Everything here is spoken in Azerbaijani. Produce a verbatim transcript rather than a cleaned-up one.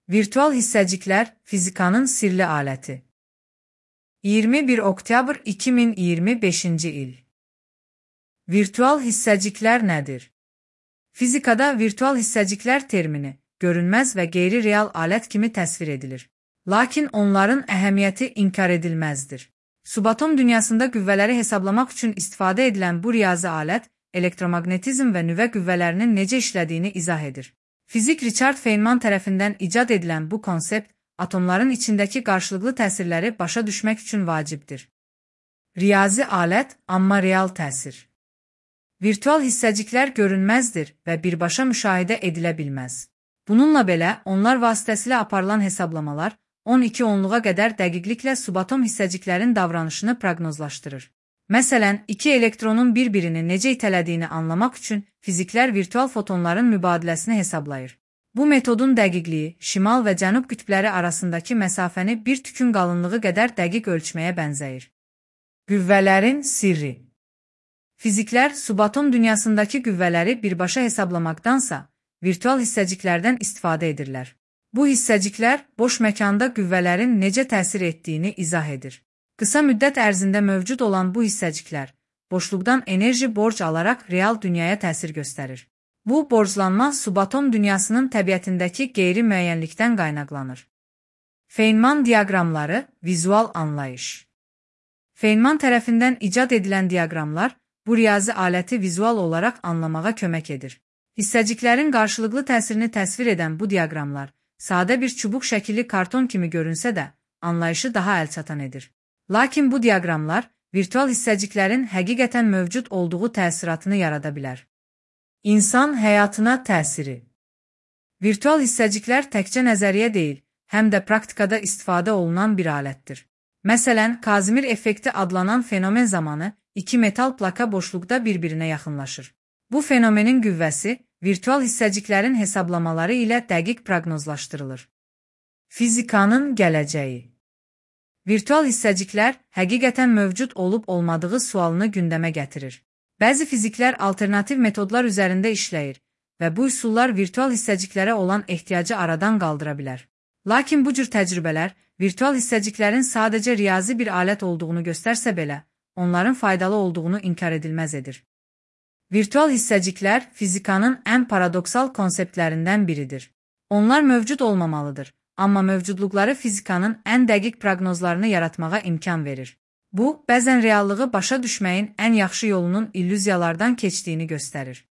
Virtual hissəciklər fizikanın sirli aləti. iyirmi bir oktyabr iki min iyirmi beşinci il. Virtual hissəciklər nədir? Fizikada virtual hissəciklər termini görünməz və qeyri-real alət kimi təsvir edilir. Lakin onların əhəmiyyəti inkar edilməzdir. Subatom dünyasında qüvvələri hesablamaq üçün istifadə edilən bu riyazi alət, elektromaqnetizm və nüvə qüvvələrinin necə işlədiyini izah edir. Fizik Richard Feynman tərəfindən icad edilən bu konsept, atomların içindəki qarşılıqlı təsirləri başa düşmək üçün vacibdir. Riyazi alət, amma real təsir. Virtual hissəciklər görünməzdir və birbaşa müşahidə edilə bilməz. Bununla belə, onlar vasitəsilə aparılan hesablamalar on iki onluğa qədər dəqiqliklə subatom hissəciklərin davranışını proqnozlaşdırır. Məsələn, iki elektronun bir-birini necə itələdiyini anlamaq üçün fiziklər virtual fotonların mübadiləsini hesablayır. Bu metodun dəqiqliyi, şimal və cənub qütbləri arasındakı məsafəni bir tükün qalınlığı qədər dəqiq ölçməyə bənzəyir. Qüvvələrin sirri. Fiziklər subatom dünyasındakı qüvvələri birbaşa hesablamaqdansa, virtual hissəciklərdən istifadə edirlər. Bu hissəciklər boş məkanda qüvvələrin necə təsir etdiyini izah edir. Qısa müddət ərzində mövcud olan bu hissəciklər, boşluqdan enerji borc alaraq real dünyaya təsir göstərir. Bu, borclanma subatom dünyasının təbiətindəki qeyri-müəyyənlikdən qaynaqlanır. Feynman diaqramları, vizual anlayış. Feynman tərəfindən icad edilən diaqramlar, bu riyazi aləti vizual olaraq anlamağa kömək edir. Hissəciklərin qarşılıqlı təsirini təsvir edən bu diaqramlar, sadə bir çubuq şəkilli karton kimi görünsə də, anlayışı daha əlçatan edir. Lakin bu diaqramlar virtual hissəciklərin həqiqətən mövcud olduğu təsiratını yarada bilər. İnsan həyatına təsiri. Virtual hissəciklər təkcə nəzəriyyə deyil, həm də praktikada istifadə olunan bir alətdir. Məsələn, Kazimir effekti adlanan fenomen zamanı iki metal plaka boşluqda bir-birinə yaxınlaşır. Bu fenomenin qüvvəsi virtual hissəciklərin hesablamaları ilə dəqiq proqnozlaşdırılır. Fizikanın gələcəyi. Virtual hissəciklər həqiqətən mövcud olub-olmadığı sualını gündəmə gətirir. Bəzi fiziklər alternativ metodlar üzərində işləyir və bu üsullar virtual hissəciklərə olan ehtiyacı aradan qaldıra bilər. Lakin bu cür təcrübələr virtual hissəciklərin sadəcə riyazi bir alət olduğunu göstərsə belə, onların faydalı olduğunu inkar edilməz edir. Virtual hissəciklər fizikanın ən paradoksal konseptlərindən biridir. Onlar mövcud olmamalıdır. Amma mövcudluqları fizikanın ən dəqiq proqnozlarını yaratmağa imkan verir. Bu, bəzən reallığı başa düşməyin ən yaxşı yolunun illüziyalardan keçdiyini göstərir.